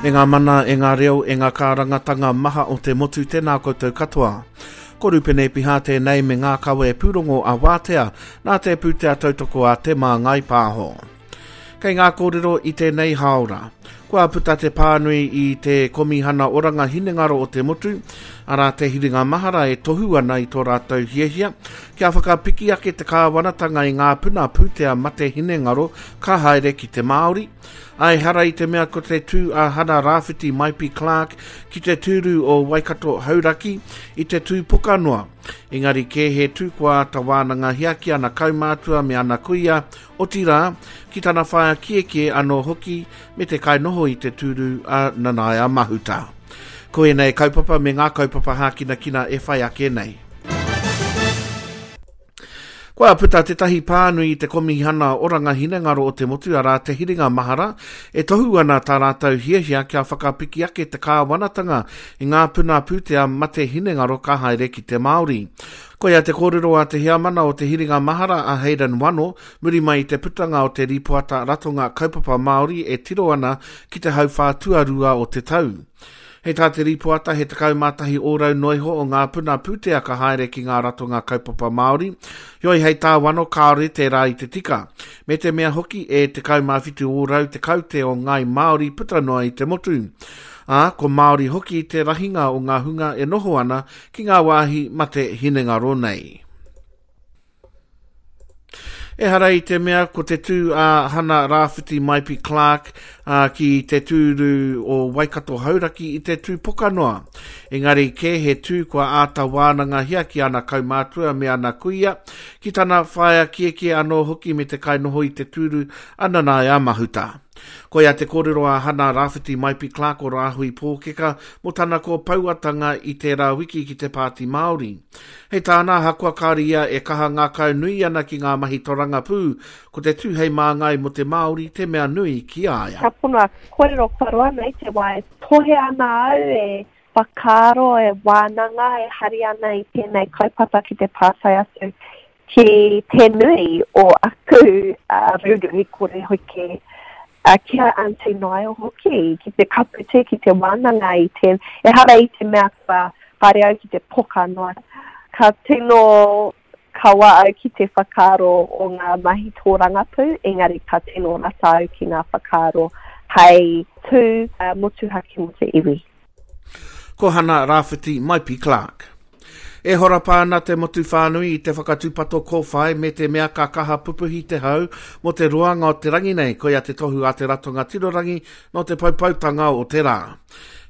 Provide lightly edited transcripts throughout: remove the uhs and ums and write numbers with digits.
E ngā mana, e ngā reo, e ngā kārangatanga maha o te motu, tēnā koutou katoa. Ko Rupene Piha tēnei me ngā kawe pūrongo a Wātea, nā te pūtea tautoko a Te Māngai Pāho. Kei ngā kōrero i tēnei hāora. Kua puta te pānui i te Komihana Oranga Hinengaro o te Motu, arā te hiringa mahara e tohu ana i tō rātou hiahia kia whakapiki ake te kāwanatanga i ngā puna pūtea mate hinengaro ka haere ki te Māori. Ā, ehara i te mea ko te tū a Hana Rāwhiti Maipi Clarke ki te tūru o Waikato Hauraki i te tū poka noa, engari kē he tū kua āta wānangahia ki ana kaumātua me ana kuia, Otirā, ki tana whaea kiekie anō hoki me te kainoho i te tūru a Nanaia Mahuta. Ko ēnei kaupapa me ngā kaupapa hākinakina e whai ake nei. Kua puta tētahi pānui i te Komihana Oranga Hinengaro o te Motu, arā, Te Hiringa Mahara, e tohu ana tā rātou hiahia kia whakapiki ake te kāwanatanga i ngā puna pūtea mate hinengaro ka haere ki te Māori. Koia te kōrero a te heamana o Te Hiringa Mahara a Hayden Wano, muri mai i te putanga o te rīpoata Ratonga Kaupapa Māori e tiro ana ki te hauwhā tuarua o te tau. Hei tā te rīpoata he 11 ōrau noa iho o ngā puna pūtea ka haere ki ngā ratonga kaupapa Māori, heoi hei tā Wano kāore tērā i te tika, me te mea hoki e 17 ōrau te kaute o ngāi Māori puta noa i te motu. Ā, ko Māori hoki te rahinga o ngā hunga e noho ana ki ngā wāhi mate hinengaro nei. Ehara i te mea ko te tū a Hana Rāwhiti Maipi Clarke a, ki te tūru o Waikato Hauraki i te tū pokanoa. Engari kē he tū kua āta wānangahia ki ana kaumātua me ana kuia, ki tana whaea kiekie anō hoki me te kainoho i te tūru a Nanaia Mahuta. Koia te kōrero a Hana Rāwhiti Maipi Clarke o Rāhui Pōkeka mō tana kōpauatanga i tērā wiki ki te Pāti Māori. Hei tāna, ahakoa kāore ia e kaha ngākau nui ana ki ngā mahi torangapū, ko te tū hei māngai mō te Māori te mea nui ki a ia. Ka pono aku kōrero kua roa nei te wā e tohe ana au, e whakaaro, e wānanga, e hari ana i tēnei kaupapa ki te pātai atu Ki te nui o aku rūruhi kore hoki, ki a Aunty Niall hoki, ki te kapu tē, ki te wānanga i te, ehara i te mea kua haere au ki te poka noa. Ka tino kawa au ki te whakaaro o ngā mahi tōrangapū, engari ka tino rata au ki ngā whakaaro hei tū motuhake mō te iwi. Ko Hana Rāwhiti Maipi Clarke. E horapa ana te motu whānui i te whakatūpato kōwhai me te mea ka kaha pupuhi te hau mō te roanga o te rangi nei, koia te tohu a te Ratonga Tirorangi nō te poupoutanga o te rā.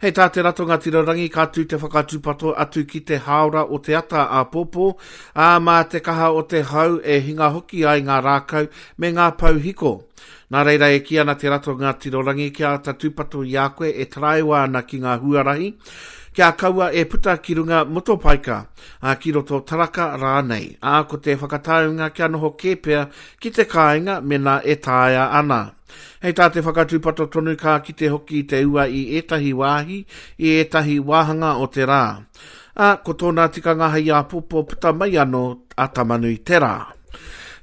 Hei tā te Ratonga Tirorangi ka tū te whakatūpato atu ki te hāora o te ata āpōpō, ā, mā te kaha o te hau e hinga hoki ai ngā rākau me ngā pou hiko. Nā reira e kī ana te Ratonga Tirorangi kia āta tūpato i a koe e taraiwa ana ki ngā huarahi, kia kaua e puta ki runga motopaika, ā, ki roto taraka rānei, ā, ko te whakataunga kia noho kē pea ki te kāinga mēnā e taea ana. Hei tā te whakatūpato tonu ka kite hoki i te ua i ētahi wāhi, i ētahi wāhanga o te rā. Ā, ko tōna tikanga hei āpōpō puta mai anō a Tamanui-te-rā.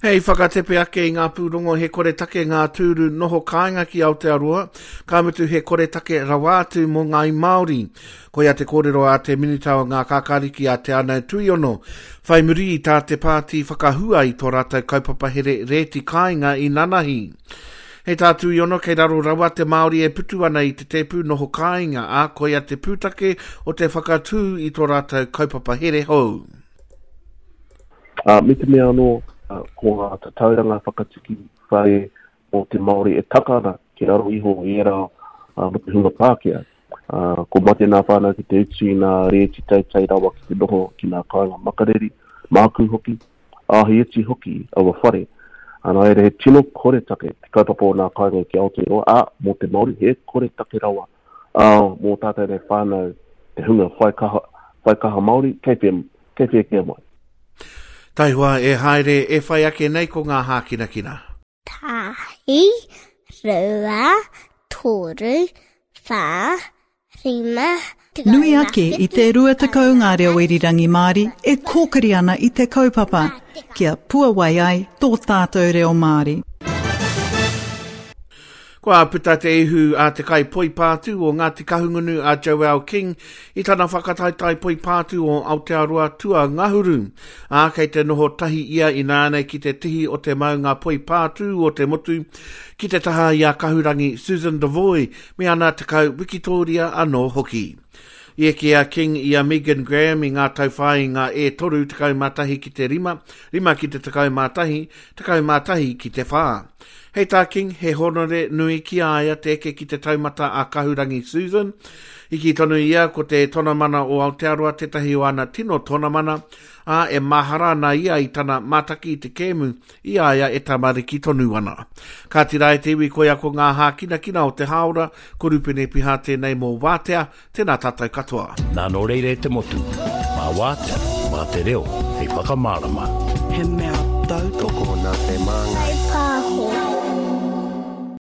Hei whakatepe ake i ngā pūrongo he koretake ngā tūru noho kāinga ki Aotearoa, ka mutu he koretake rawa atu mō ngāi Māori. Koia te kōrero a te Minita o Ngā Kākāriki a Te Anau Tuiono, whai muri i tā te pāti whakahua i tō rātou kaupapa here rēti kāinga i nanahi. Hei tā Tuiono kei raro rawa te Māori e putu ana i te tēpu noho kāinga, ā, koia te pūtake o te whakatū i tō rātou kaupapa here hou. Ā, me te mea anō, ko ngā tatauranga whakatiki whare mō te Māori e taka ana ki raro iho i ērā mō te hunga Pākehā. Ā, ko mate nā whānau ki te utu i ngā rēti teitei rawa ki te noho ki ngā kāinga makariri, mākū hoki, ā, he iti hoki aua whare. Ā, nā reira, he tino koretake te kaupapa o ngā kāinga ki Aotearoa, ā, mō te Māori, he koretake rawa, ā, mō tātou nei whānau, te hunga whai kaha, whai kaha Māori, kei whea, Kei whea kē mai. Taihoa e haere e whai ake nei ko ngā hākinakina. Tahi, rua, toru, whā, rima, Nui ake i te 20 ngā reo irirangi Māori e kōkiri ana i te kaupapa kia puawai ai tō tātou reo Māori. Kua puta te ihu a te kaipoipātū o Ngāti Kahungunu a Joelle King i tana whakataetae poipātū o Aotearoa tuangahuru, ā, kei te noho tahi ia ināianei ki te tihi o te maunga poipātū o te motu, ki te taha i a Kahurangi Susan Devoy me ana 10 wikitōria anō hoki. I eke a King i a Megan Graham i ngā tauwhāinga e 3, 11 ki te 5, 5 ki te 11, 11 ki te 4. Hei tā King, he hōnore nui ki a ia te eke ki te taumata a Kahurangi Susan. I kī tonu ia ko te tonamana o Aotearoa tētahi o ana tino tonamana, ā, e mahara ana ia i tana mātaki i te kēmu i a ia e tamariki tonu ana. Kāti rā e te iwi koia ko ngā hākinakina o te hāora, ko Rupene Piha tēnei mō Wātea, Tēnā tātou katoa. Nā nō reira e te motu, mā Wātea, mā te reo hei whakamārama. He mea tautoko. Tokona te māngai.